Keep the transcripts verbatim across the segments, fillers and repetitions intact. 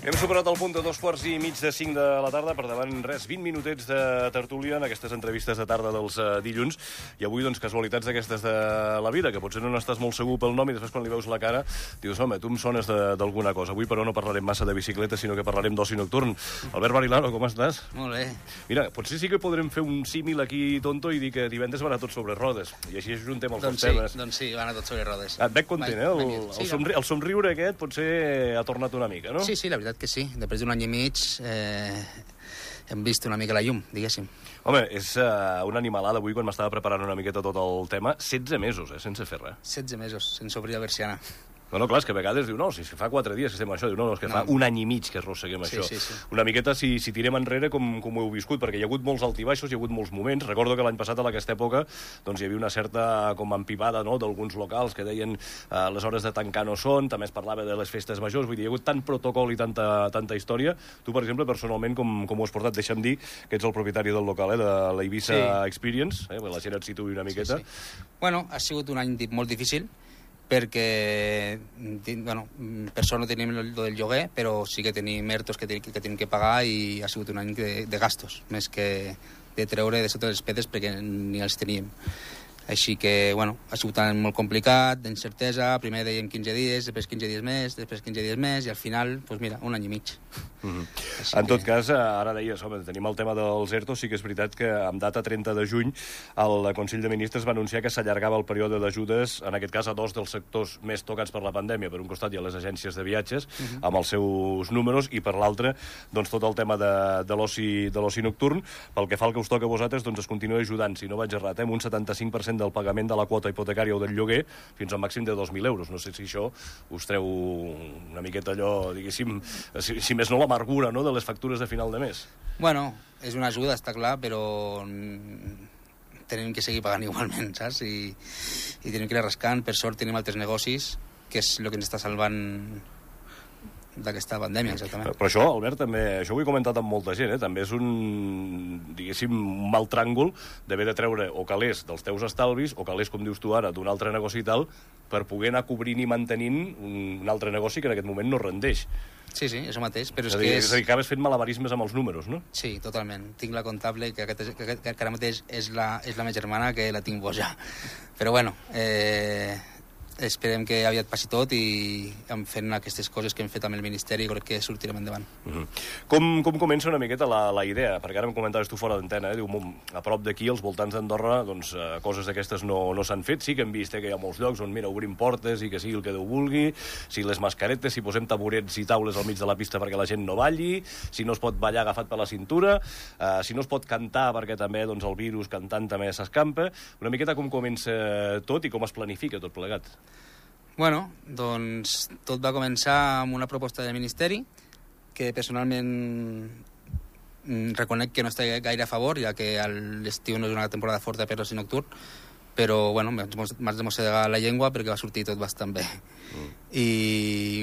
Hem superat el punt de dos quarts i mig de cinc de la tarda, per davant res, vint minutets de tertúlia en aquestes entrevistes de tarda dels uh, dilluns, i avui, doncs, casualitats d'aquestes de la vida, que potser no n'estàs molt segur pel nom i després quan li veus la cara dius, home, tu em sones d'alguna cosa. Avui, però, no parlarem massa de bicicleta, sinó que parlarem d'oci nocturn. Albert Barilano, com estàs? Molt bé. Mira, potser sí que podrem fer un símil aquí tonto i dir que divendres va anar tot sobre rodes, i així ajuntem els doncs dos sí, temes. Doncs sí, va anar tot sobre rodes. Et veig content, eh? El, sí, el, somri el somriure aquest potser ha tornat una mica, no? Sí, sí, la veritat que sí. Després d'un any i mig eh, hem vist una mica la llum, diguéssim. Home, és uh, una animalada avui, quan m'estava preparant una miqueta tot el tema. setze mesos, eh, sense fer res. setze mesos, sense obrir la persiana. No, no, clar, és que a vegades diu, no, si fa quatre dies que estem això, diu, no, no, és que no. fa un any i mig que arrosseguem sí, això. Sí, sí. Una miqueta, si, si tirem enrere, com, com ho heu viscut, perquè hi ha hagut molts altibaixos, hi ha hagut molts moments. Recordo que l'any passat, a aquesta època, doncs hi havia una certa com empivada, no?, d'alguns locals que deien eh, les hores de tancar no són, també es parlava de les festes majors, vull dir, hi ha hagut tant protocol i tanta, tanta història. Tu, per exemple, personalment, com, com ho has portat? Deixa'm dir que ets el propietari del local, eh, de la Eivissa sí. Experience, eh, la gent et situï una miqueta. Sí, sí. Bueno, ha sigut un any molt difícil, perquè, bueno, per sort no tenim el del lloguer, però sí que tenim ERTOs que, que tenim que pagar i ha sigut un any de, de gastos, més que de treure de sota les pedres perquè ni els teníem. Així que, bueno, ha sigut un any molt complicat, d'incertesa, primer dèiem quinze dies, després quinze dies més, després quinze dies més, i al final, doncs mira, un any i mig. Mm-hmm. En que... tot cas, ara deies, home, tenim el tema dels ERTOs, sí que és veritat que amb data trenta de juny el Consell de Ministres va anunciar que s'allargava el període d'ajudes, en aquest cas a dos dels sectors més tocats per la pandèmia. Per un costat hi ha les agències de viatges, mm-hmm. amb els seus números, i per l'altre, doncs tot el tema de, de l'oci nocturn. Pel que fa al que us toca a vosaltres, doncs es continua ajudant, si no vaig errat, eh, amb un setanta-cinc per cent del pagament de la quota hipotecària o del lloguer fins al màxim de dos mil euros. No sé si això us treu una miqueta allò, diguéssim, si, si més no l'amargura, no?, de les factures de final de mes. Bueno, és una ajuda, està clar, però tenim que seguir pagant igualment, saps? I, i tenim que ir rascant. Per sort tenim altres negocis, que és el que ens està salvant d'aquesta pandèmia, exactament. Però això, Albert, també, això ho he comentat amb molta gent, eh? També és un, diguéssim, un mal tràngol d'haver de treure o calés dels teus estalvis, o calés, com dius tu ara, d'un altre negoci i tal, per poder anar cobrint i mantenint un altre negoci que en aquest moment no rendeix. Sí, sí, això mateix, però és, és, dir, que és... és a dir, acabes fent malabarismes amb els números, no? Sí, totalment. Tinc la comptable, que, aquest, que, que ara mateix és la, és la meva germana, que la tinc boja. Però bueno, eh... esperem que aviat passi tot i fent aquestes coses que hem fet amb el Ministeri crec que sortirem endavant. Uh-huh. Com, com comença una miqueta la, la idea? Perquè ara em comentaves tu fora d'antena, eh? Diu, a prop d'aquí, als voltants d'Andorra, doncs eh, coses d'aquestes no, no s'han fet. Sí que hem vist eh, que hi ha molts llocs on, mira, obrim portes i que sigui el que Déu vulgui, si les mascaretes, si posem taburets i taules al mig de la pista perquè la gent no balli, si no es pot ballar agafat per la cintura, eh, si no es pot cantar perquè també doncs, el virus cantant també s'escampa. Una miqueta com comença tot i com es planifica tot plegat. Bueno, doncs tot va començar amb una proposta del Ministeri que personalment reconec que no està gaire a favor, ja que l'estiu no és una temporada forta per l'oci nocturn, però bueno, m'has de mossegar la llengua perquè va sortir tot bastant bé. Mm. I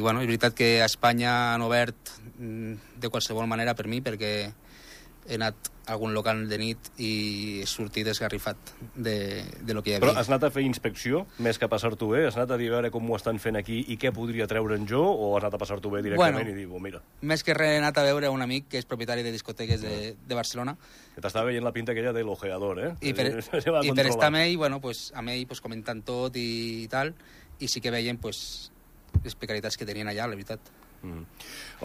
bueno, és veritat que a Espanya han obert de qualsevol manera per mi, perquè he anat a algun local de nit i he sortit esgarrifat de, de lo que hi havia. Però has anat a fer inspecció, més que passar-t'ho bé? Has anat a dir a veure com ho estan fent aquí i què podria treure'n jo, o has anat a passar-t'ho bé directament bueno, i dir, oh, mira... Més que res he anat a veure un amic que és propietari de discoteques de, de Barcelona. Que t'estava veient la pinta aquella de l'ojeador, eh? I per, i per estar amb ell, bueno, pues, amb ell pues, comentant tot i tal, i sí que veiem pues, les precaritats que tenien allà, la veritat. Mm.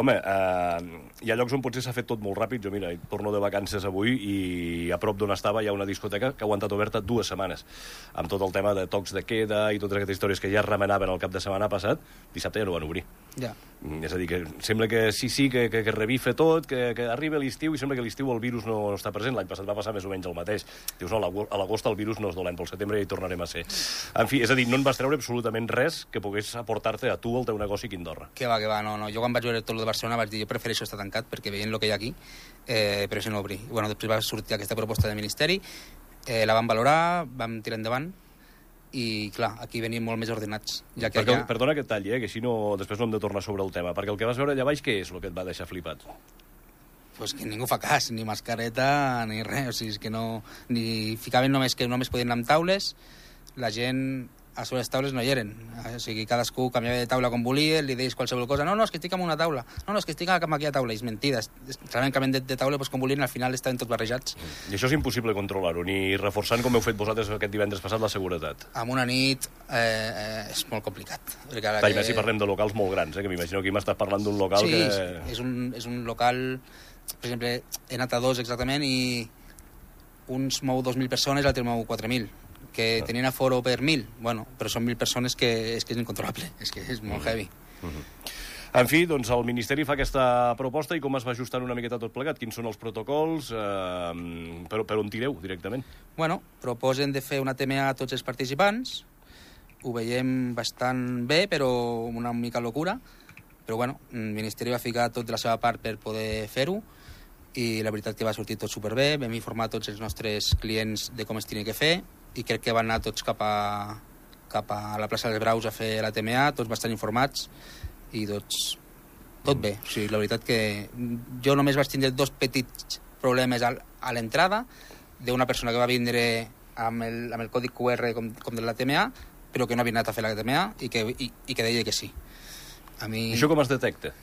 Home, eh, hi ha llocs on potser s'ha fet tot molt ràpid. Jo, mira, torno de vacances avui i a prop d'on estava hi ha una discoteca que ha aguantat oberta dues setmanes, amb tot el tema de tocs de queda i totes aquestes històries que ja remenaven el cap de setmana passat. Dissabte ja no van obrir. Ja. Mm, és a dir, que sembla que sí, sí, que, que, que revifa tot, que, que arriba l'estiu i sembla que a l'estiu el virus no, no està present. L'any passat va passar més o menys el mateix. Dius, no, a l'agost el virus no és dolent, pel setembre ja hi tornarem a ser. En fi, és a dir, no en vas treure absolutament res que pogués aportar-te a tu el teu negoci aquí a Andorra. Que va, que va, no, no. Jo quan vaig veure tot el de Barcelona vaig dir, jo prefereixo estar tancat perquè veient el que hi ha aquí, eh, però això no obrir. I, bueno, després va sortir aquesta proposta del Ministeri, eh, la vam valorar, vam tirar endavant, i clar, aquí venim molt més ordenats. Ja que perquè, allà... Perdona que et talli, eh, que així no, després no hem de tornar sobre el tema, perquè el que vas veure allà baix, què és el que et va deixar flipat? Pues que ningú fa cas, ni mascareta, ni res, o sigui, és que no... Ni ficaven només que només podien anar amb taules, la gent a sobre les taules no hi eren. O sigui, cadascú canviava de taula com volia, li deies qualsevol cosa. No, no, és que estic en una taula. No, no, és que estic en aquella taula. És mentida. Realment canvien de, de taula pues, com volien, al final estaven tots barrejats. I això és impossible controlar-ho, ni reforçant, com heu fet vosaltres aquest divendres passat, la seguretat. En una nit eh, eh, és molt complicat. Clar, que... si parlem de locals molt grans, eh, que m'imagino que m'estàs parlant d'un local sí, que... Sí, és un, és un local... Per exemple, he anat a dos exactament i uns mou dos mil persones, l'altre mou quatre mil. Que tenien aforo per mil, bueno, però són mil persones que és que és incontrolable, és que és molt heavy. Mm-hmm. En fi, doncs el Ministeri fa aquesta proposta i com es va ajustant una miqueta tot plegat? Quins són els protocols? Eh, per, per on tireu directament? Bueno, proposen de fer una T M A a tots els participants, ho veiem bastant bé, però una mica locura, però bueno, el Ministeri va ficar tot de la seva part per poder fer-ho, i la veritat que va sortir tot superbé, vam informar tots els nostres clients de com es tenia que fer, i crec que van anar tots cap a, cap a la plaça dels Braus a fer la T M A, tots bastant informats, i tots, tot bé. O sigui, la veritat que jo només vaig tindre dos petits problemes a, a l'entrada, d'una persona que va vindre amb el, amb el codi Q R com, com de la T M A, però que no havia anat a fer la T M A i que, i, i que deia que sí. A mi... Això com es detecta?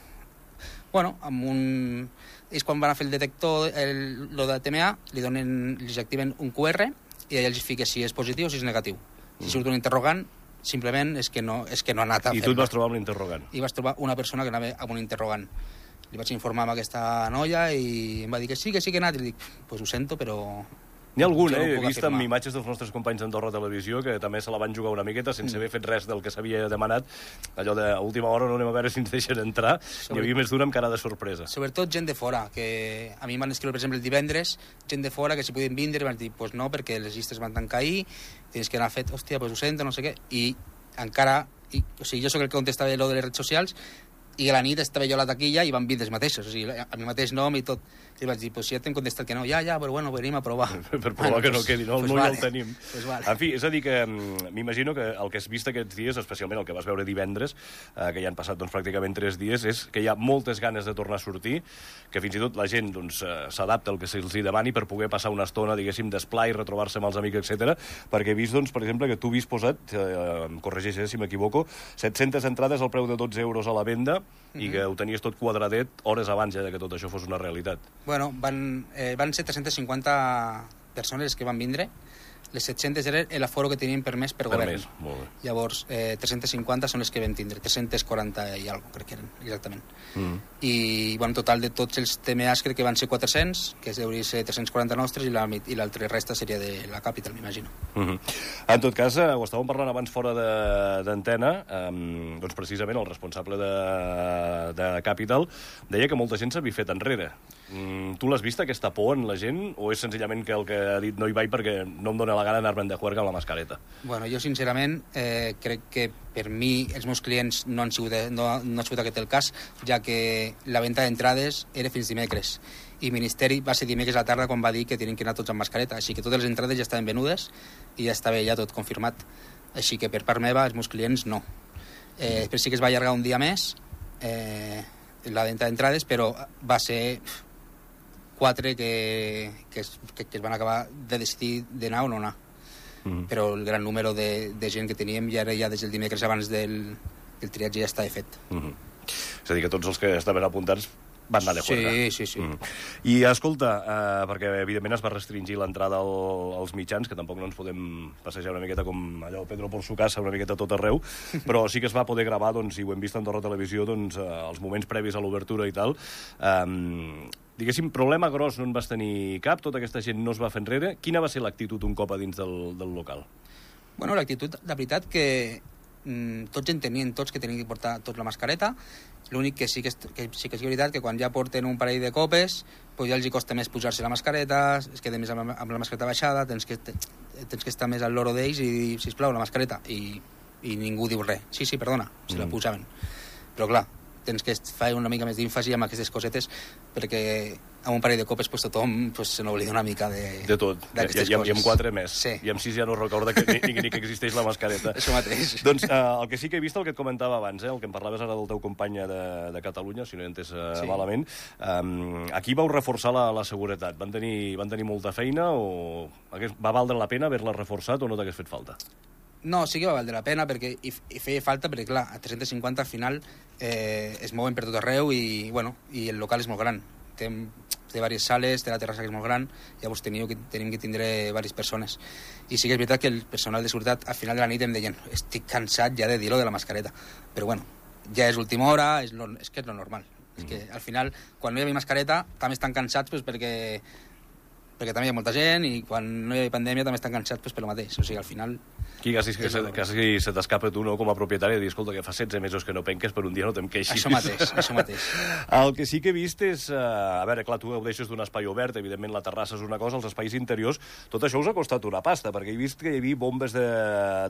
Bueno, amb un... Ells quan van a fer el detector, el, lo de la T M A, li donen, li activen un Q R i allà els fica si és positiu o si és negatiu. Si surt un interrogant, simplement és que no, és que no ha anat a fer-ho. I tu et vas trobar amb l'interrogant? I vas trobar una persona que anava amb un interrogant. Li vaig informar amb aquesta noia i em va dir que sí, que sí que ha anat. I li dic, pues ho sento, però... N'hi ha algun, eh? He vist amb imatges dels nostres companys d'Andorra Televisió que també se la van jugar una miqueta sense mm. haver fet res del que s'havia demanat. Allò d'última hora no anem a veure si ens deixen entrar. Sobre... N'hi havia més d'una amb cara de sorpresa. Sobretot gent de fora, que a mi m'han escrit, per exemple, el divendres, gent de fora que si podien vindre, van dir, pues no, perquè les llistes van tancar ahir, tens que anar fet, hòstia, pues ho sento, no sé què, i encara... I, o sigui, jo sóc el que contestava lo de les redes socials, i a la nit estava jo a la taquilla i van vir dels mateixos, o sigui, a mi mateix nom i tot. I vaig dir, pues si ja t'hem contestat que no, ja, ja, però bueno, venim a provar. Per provar bueno, que no quedi, no? Pues no vale. Ja el tenim. Pues vale. En fi, és a dir que m'imagino que el que has vist aquests dies, especialment el que vas veure divendres, eh, que ja han passat doncs, pràcticament tres dies, és que hi ha moltes ganes de tornar a sortir, que fins i tot la gent doncs, s'adapta al que se'ls demani per poder passar una estona, diguéssim, d'esplai, retrobar-se amb els amics, etcètera. Perquè he vist, doncs, per exemple, que tu havies posat, eh, em corregeix si m'equivoco, set-centes entrades al preu de dotze euros a la venda, mm-hmm. i que ho tenies tot quadradet hores abans ja que tot això fos una realitat. Bueno, van, eh, van ser tres-centes cinquanta persones que van vindre. Les set-centes era l'aforo que tenien permès per, per govern. Més, molt bé. Llavors, eh, tres-centes cinquanta són les que vam tindre, tres-centes quaranta i alguna cosa, crec que eren, exactament. Mm. I, bueno, en total de tots els T M As crec que van ser quatre-cents, que hauria de ser tres-cents quaranta nostres, i l'altra resta seria de la Capital, m'imagino. Mm-hmm. En tot cas, eh, ho estàvem parlant abans fora d'antena, eh, doncs precisament el responsable de, de Capital deia que molta gent s'havia fet enrere. Mm, tu l'has vist, aquesta por en la gent, o és senzillament que el que ha dit no hi vaig perquè no em dóna la gana d'anar-me'n de juerga amb la mascareta? Bueno, jo sincerament eh, crec que per mi els meus clients no han sigut, no, no ha sigut aquest el cas, ja que la venda d'entrades era fins dimecres i el Ministeri va ser dimecres a la tarda quan va dir que tenien que anar tots amb mascareta, així que totes les entrades ja estaven venudes i ja estava ja tot confirmat, així que per part meva els meus clients no. Eh, després sí que es va allargar un dia més eh, la venda d'entrades, però va ser quatre que, que, es, que, que es van acabar de decidir d'anar o no anar. Mm. Però el gran número de, de gent que teníem ja era ja des del dimecres abans del, del triatge ja estava fet. Mm -hmm. És a dir, que tots els que estaven apuntats van anar de juerga. Sí, sí, sí. Mm. I escolta, eh, perquè evidentment es va restringir l'entrada al, als mitjans, que tampoc no ens podem passejar una miqueta com allò Pedro por su casa, una miqueta tot arreu, però sí que es va poder gravar, doncs, i ho hem vist a Andorra Televisió, doncs, eh, els moments previs a l'obertura i tal. Eh, Diguéssim, problema gros no en vas tenir cap, tota aquesta gent no es va fer enrere. Quina va ser l'actitud un cop a dins del, del local? Bueno, l'actitud, la veritat que mmm, tots entenien tots que tenien que portar tots la mascareta. L'únic que sí que, és, que sí que és veritat que quan ja porten un parell de copes pues ja els hi costa més posar-se la mascareta, es queda més amb, amb la mascareta baixada, tens que, tens que estar més al loro d'ells i dir, sisplau, la mascareta, i, i ningú diu res. Sí, sí, perdona, se mm. la posaven. Però clar, tens que fer una mica més d'èmfasi amb aquestes cosetes perquè amb un parell de copes pues, tothom pues, se n'oblida una mica de, de tot. I, i, I amb quatre més. Sí. I amb sis ja no recorda que, ni, ni que existeix la mascareta. Això mateix. Doncs eh, el que sí que he vist, el que et comentava abans, eh, el que em parlaves ara del teu company de, de Catalunya, si no he entès eh, sí. malament, eh, aquí vau reforçar la, la seguretat. Van tenir, van tenir molta feina o va valdre la pena haver-la reforçat o no t'hagués fet falta? No, sí que va valdre la pena, perquè hi, hi feia falta, perquè clar, a tres-cents cinquanta al final eh, es mouen per tot arreu i, bueno, i el local és molt gran. Té, té diverses sales, té la terrassa que és molt gran, llavors teniu que, tenim que tindre diverses persones. I sí que és veritat que el personal de seguretat al final de la nit em deien estic cansat ja de dir-ho de la mascareta, però bueno, ja és última hora, és, lo, és que és lo normal. Mm. És que al final, quan no hi havia mascareta, també estan cansats pues, perquè, perquè també hi ha molta gent i quan no hi havia pandèmia també estan cansats pues, per lo mateix. O sigui, al final... Aquí quasi, que se, quasi se t'escapa tu, no?, com a propietari, de dir, escolta, que fa setze mesos que no penques, per un dia no te'm queixis. Això mateix, això mateix. El que sí que he vist és... Uh, a veure, clar, tu ho deixes d'un espai obert, evidentment la terrassa és una cosa, els espais interiors, tot això us ha costat una pasta, perquè he vist que hi havia bombes de,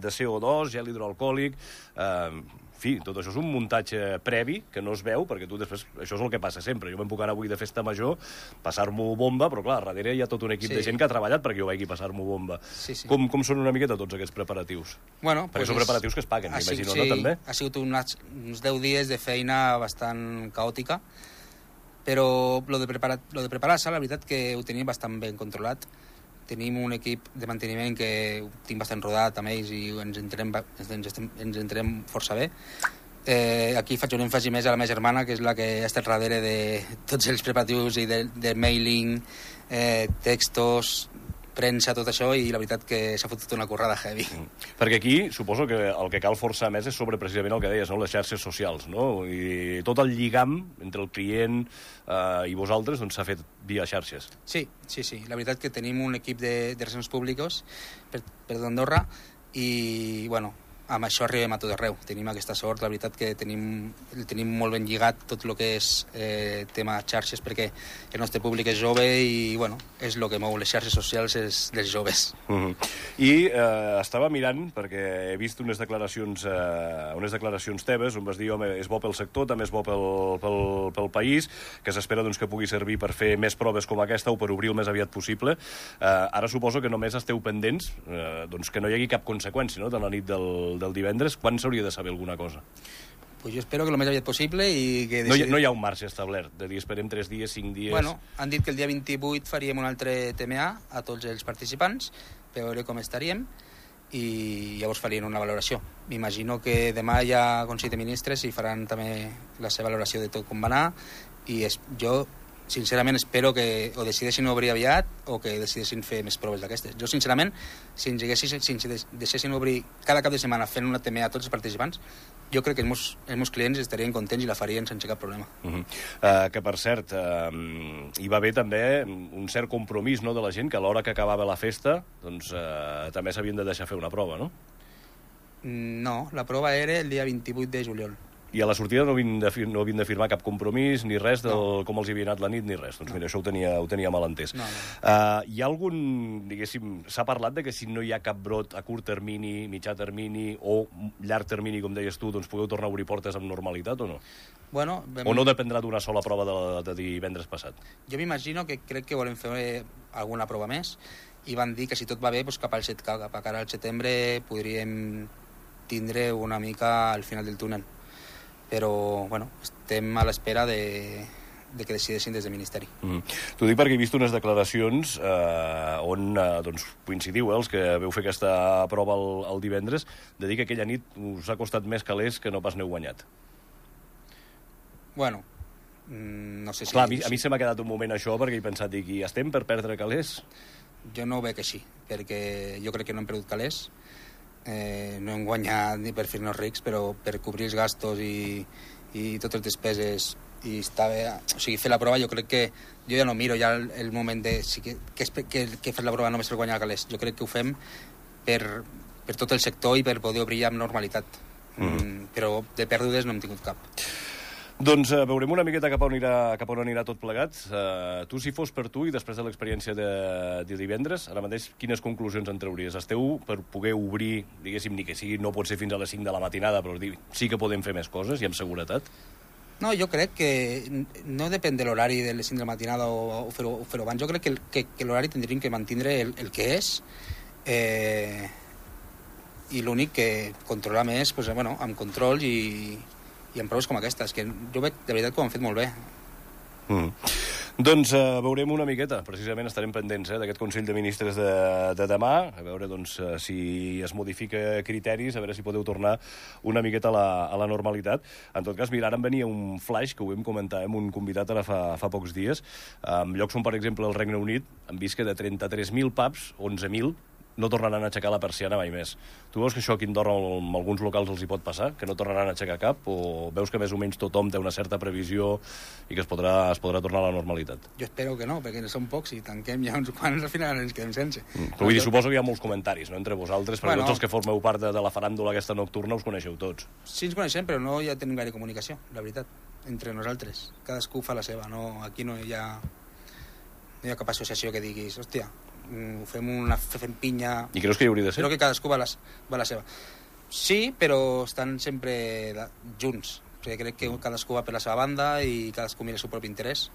de C O dos, gel hidroalcohòlic... Uh, En fi, tot això és un muntatge previ que no es veu, perquè tu després... Això és el que passa sempre. Jo me'n puc anar avui de festa major, passar-m'ho bomba, però clar, darrere hi ha tot un equip sí. de gent que ha treballat perquè jo vegi passar-m'ho bomba. Sí, sí. Com, com són una miqueta tots aquests preparatius? Bueno, perquè pues són preparatius que es paguen, m'imagino, sí, no, també? Ha sigut uns, uns deu dies de feina bastant caòtica, però lo de preparar, lo de preparar-se, la veritat que ho tenim bastant ben controlat. Tenim un equip de manteniment que ho tinc bastant rodat amb ells i ens entrem, ens, estem, ens entrem força bé. Eh, aquí faig un èmfasi més a la meva germana, que és la que ha estat darrere de tots els preparatius i de, de mailing, eh, textos, premsa, tot això, i la veritat que s'ha fotut una currada heavy. Mm. Perquè aquí suposo que el que cal forçar més és sobre precisament el que deies, no?, les xarxes socials, no? I tot el lligam entre el client eh, i vosaltres doncs, s'ha fet via xarxes. Sí, sí, sí. La veritat que tenim un equip de, de relacions públics per, per d'Andorra i, bueno, amb això arribem a tot arreu. Tenim aquesta sort, la veritat que tenim, tenim molt ben lligat tot el que és eh, tema xarxes, perquè el nostre públic és jove i, bueno, és el que mou les xarxes socials és dels joves. Mm-hmm. I eh, estava mirant, perquè he vist unes declaracions, eh, unes declaracions teves, on vas dir, home, és bo pel sector, també és bo pel, pel, pel país, que s'espera doncs, que pugui servir per fer més proves com aquesta o per obrir el més aviat possible. Eh, ara suposo que només esteu pendents eh, doncs, que no hi hagi cap conseqüència, no?, de la nit del del divendres. Quan s'hauria de saber alguna cosa? Pues jo espero que el més aviat possible i que... Decidi... No, hi, no hi ha un marge establert, de dir esperem tres dies, cinc dies... Bueno, han dit que el dia vint-i-vuit faríem un altre T M A a tots els participants per veure com estaríem i llavors farien una valoració. M'imagino que demà hi ha Consell de Ministres i faran també la seva valoració de tot com va anar i es... jo sincerament espero que o decideixin obrir aviat o que decideixin fer més proves d'aquestes. Jo sincerament, si ens, haguessin, si ens deixessin obrir cada cap de setmana fent una T M A a tots els participants, jo crec que els meus, els meus clients estarien contents i la farien sense cap problema. Uh-huh. uh, que per cert, uh, hi va haver també un cert compromís, no?, de la gent que a l'hora que acabava la festa doncs, uh, també s'havien de deixar fer una prova, no? No, la prova era el dia vint-i-vuit de juliol. I a la sortida no havien de, no havien de firmar cap compromís, ni res del no. com els hi havia anat la nit, ni res. Doncs no. Mira, això ho tenia, ho tenia mal entès. No, no. Uh, hi ha algun, diguéssim, s'ha parlat de que si no hi ha cap brot a curt termini, mitjà termini o llarg termini, com deies tu, doncs podeu tornar a obrir portes amb normalitat o no? Bueno, vam... O no dependrà d'una sola prova de, de divendres passat? Jo m'imagino que crec que volem fer alguna prova més i van dir que si tot va bé, doncs cap al, cap a cara al setembre podríem tindre una mica al final del túnel. Però, bueno, estem a l'espera de, de que decideixin des del Ministeri. Mm. T'ho dic perquè he vist unes declaracions eh, on eh, doncs, coincidiu, eh, els que veu fer aquesta prova el, el divendres, de dir que aquella nit us ha costat més calés que no pas n'heu guanyat. Bueno, no sé si... Clar, a mi, a mi se m'ha quedat un moment això perquè he pensat, dic, i estem per perdre calés? Jo no ho veig així, perquè jo crec que no hem perdut calés. Eh, no hem guanyat ni per fer-nos rics, però per cobrir els gastos i, i totes les despeses i estar bé, o sigui, fer la prova jo crec que jo ja no miro ja el, el moment de sí, que, que, que, que fer la prova només per guanyar calés. Jo crec que ho fem per, per tot el sector i per poder obrir amb normalitat. Mm. Mm, però de pèrdues no hem tingut cap. Doncs uh, veurem una miqueta cap on anirà, cap on anirà tot plegat. Uh, tu, si fos per tu, i després de l'experiència de, de divendres, ara mateix, quines conclusions en trauries? Esteu per poder obrir, diguéssim, ni que sigui, no pot ser fins a les cinc de la matinada, però dir, sí que podem fer més coses i amb seguretat? No, jo crec que no depèn de l'horari de les cinc de la matinada o, o fer-ho fer abans. Jo crec que, que, que l'horari tindríem que mantindre el, el que és eh, i l'únic que controlar més, pues, bueno, amb control i... i amb proves com aquestes, que jo veig de veritat que ho han fet molt bé. Mm. Doncs uh, veurem una miqueta, precisament estarem pendents eh, d'aquest Consell de Ministres de, de demà, a veure doncs, uh, si es modifica criteris, a veure si podeu tornar una miqueta a la, a la normalitat. En tot cas, mira, ara em venia un flash que ho vam comentar amb un convidat ara fa, fa pocs dies, en llocs on, per exemple, el Regne Unit han vist que de trenta-tres mil pubs, onze mil, no tornaran a aixecar la persiana mai més. Tu veus que això aquí a Andorra en alguns locals els hi pot passar? Que no tornaran a aixecar cap? O veus que més o menys tothom té una certa previsió i que es podrà, es podrà tornar a la normalitat? Jo espero que no, perquè són pocs i tanquem ja uns quants, al final ens quedem sense. Mm. Però vull dir, suposo que hi ha molts comentaris, no?, entre vosaltres, perquè bueno, tots els que formeu part de, de la faràndula aquesta nocturna us coneixeu tots. Sí, ens coneixem, però no ja tenim gaire comunicació, la veritat, entre nosaltres. Cadascú fa la seva, no, aquí no hi ha, no hi ha cap associació que diguis, hòstia, fem una fem pinya... I creus que hi hauria de ser? Crec que cadascú va la, va la seva. Sí, però estan sempre de, junts. Perquè crec que cadascú va per la seva banda i cadascú mira el seu propi interès.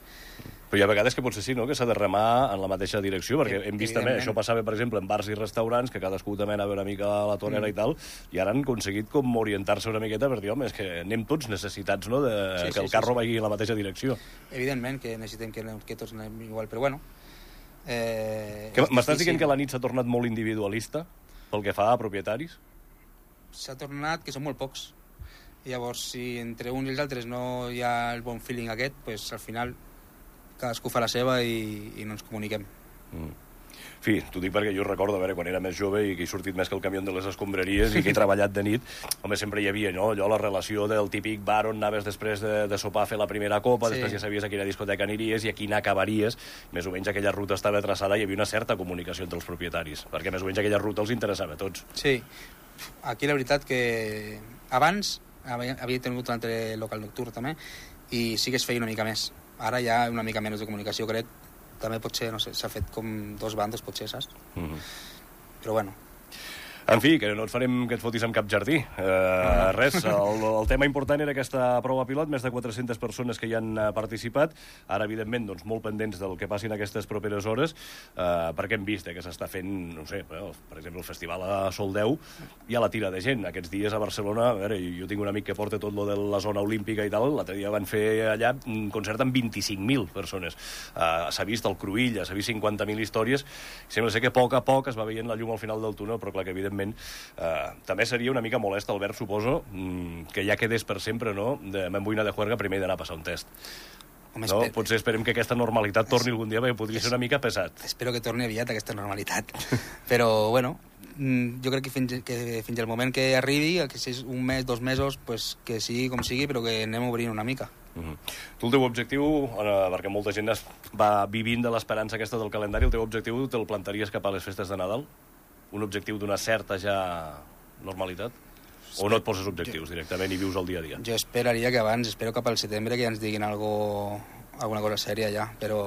Però hi ha vegades que potser sí, no?, que s'ha de remar en la mateixa direcció, perquè hem vist també, això passava, per exemple, en bars i restaurants, que cadascú també anava una mica a la tonera mm. i tal, i ara han aconseguit com orientar-se una miqueta per dir, home, és que anem tots necessitats, no?, de sí, que sí, el carro sí, sí. vagi en la mateixa direcció. Evidentment que necessitem que, que tots anem igual, però bueno... Eh, M'estàs dient que la nit s'ha tornat molt individualista pel que fa a propietaris? S'ha tornat que són molt pocs. Llavors, si entre uns i els altres no hi ha el bon feeling aquest, pues, al final cadascú fa la seva i, i no ens comuniquem. Mm. Fi, t'ho dic perquè jo recordo, a veure, quan era més jove i que he sortit més que el camió de les escombraries i que he treballat de nit, home, sempre hi havia, no?, allò, la relació del típic bar on anaves després de, de sopar a fer la primera copa, sí. Després ja sabies a quina discoteca aniries i a quina acabaries, més o menys aquella ruta estava traçada i hi havia una certa comunicació entre els propietaris, perquè més o menys aquella ruta els interessava a tots. Sí, aquí la veritat que abans havia, havia tingut un altre local nocturn també i sí que es feia una mica més. Ara hi ha una mica menys de comunicació, crec. També potser, no sé, s'ha fet com dos bandes, potser, saps? Mm-hmm. Però bueno. En fi, que no et farem que et fotis amb cap jardí. Uh, res, el, el tema important era aquesta prova pilot, més de quatre-centes persones que hi han participat. Ara, evidentment, doncs, molt pendents del que passin aquestes properes hores, uh, perquè hem vist eh, que s'està fent, no sé, per exemple, el festival a Soldeu, hi ha la tira de gent. Aquests dies a Barcelona, a veure, jo tinc un amic que porta tot lo de la zona olímpica i tal, l'altre dia van fer allà un concert amb vint-i-cinc mil persones. Uh, s'ha vist el Cruïlla, s'ha vist cinquanta mil històries, sembla ser que a poc a poc es va veient la llum al final del túnel, però clar que, evidentment, Uh, també seria una mica molest, Albert, suposo, mm, que ja quedés per sempre, no?, de m'emboina de juerga primer d'anar a passar un test. Home, no? Esper... Potser esperem que aquesta normalitat torni algun dia, perquè podria es... ser una mica pesat. Espero que torni aviat aquesta normalitat. Però, bueno, jo crec que fins, que fins al moment que arribi, que si és un mes, dos mesos, pues, que sigui com sigui, però que anem obrint una mica. Mm-hmm. Tu el teu objectiu, eh, perquè molta gent es va vivint de l'esperança aquesta del calendari, el teu objectiu te'l plantaries cap a les festes de Nadal? Un objectiu d'una certa ja normalitat? O no et poses objectius directament i vius el dia a dia? Jo esperaria que abans, espero cap al setembre que ja ens diguin algo, alguna cosa sèria ja, però,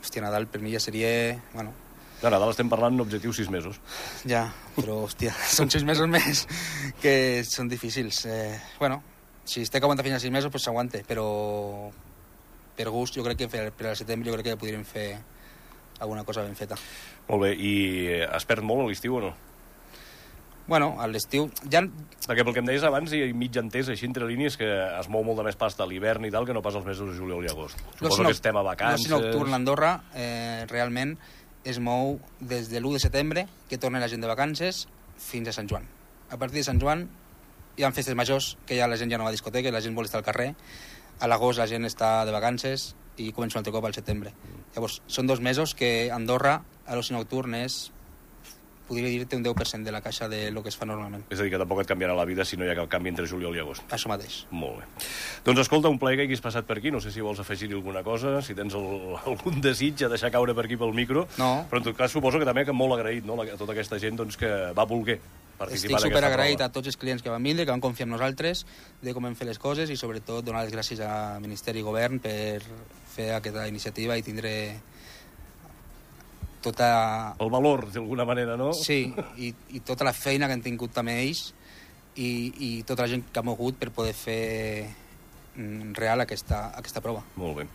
hòstia, Nadal per mi ja seria... Bueno... De Nadal estem parlant d'objectius sis mesos. Ja, però, hòstia, són sis mesos més que són difícils. Eh, bueno, si es té que aguantar fins a sis mesos, pues s'aguante, però per gust jo crec que per al setembre jo crec que podríem fer alguna cosa ben feta. Molt bé, i has perd molt a l'estiu o no? Bueno, a l'estiu... Ja... Perquè pel que em deies abans, hi ha mig entès així entre línies que es mou molt de més pasta a l'hivern i tal que no pas els mesos de juliol i agost. Suposo no, que estem a vacances... L'oci nocturn a Andorra eh, realment es mou des de l'u de setembre, que torna la gent de vacances, fins a Sant Joan. A partir de Sant Joan hi ha festes majors, que ja la gent ja no va a discoteca, la gent vol estar al carrer. A l'agost la gent està de vacances i comença un altre cop al setembre. Llavors, són dos mesos que Andorra, a l'oci nocturn, és, podria dir-te, un deu per cent de la caixa de lo que es fa normalment. És a dir, que tampoc et canviarà la vida si no hi ha cap canvi entre juliol i agost. Això mateix. Molt bé. Doncs escolta, un plaer que hagis passat per aquí. No sé si vols afegir-hi alguna cosa, si tens el, algun desig a deixar caure per aquí pel micro. No. Però en tot cas suposo que també que molt agraït, no?, a tota aquesta gent doncs, que va voler participar. Estic superagraït a tots els clients que van vindre, que van confiar en nosaltres, de com hem fet les coses i sobretot donar les gràcies a Ministeri i Govern per fer aquesta iniciativa i tindre tota... El valor, d'alguna manera, no? Sí, i, i tota la feina que han tingut també ells i, i tota la gent que ha mogut per poder fer real aquesta, aquesta prova. Molt bé.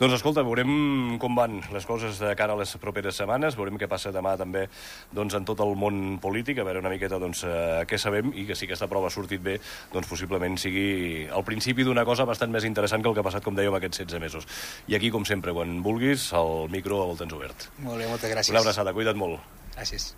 Doncs escolta, veurem com van les coses de cara a les properes setmanes, veurem què passa demà també doncs, en tot el món polític, a veure una miqueta doncs, eh, què sabem, i que si aquesta prova ha sortit bé, doncs possiblement sigui el principi d'una cosa bastant més interessant que el que ha passat, com dèiem, aquests setze mesos. I aquí, com sempre, quan vulguis, el micro el tens obert. Molt bé, moltes gràcies. Una abraçada, cuida't molt. Gràcies.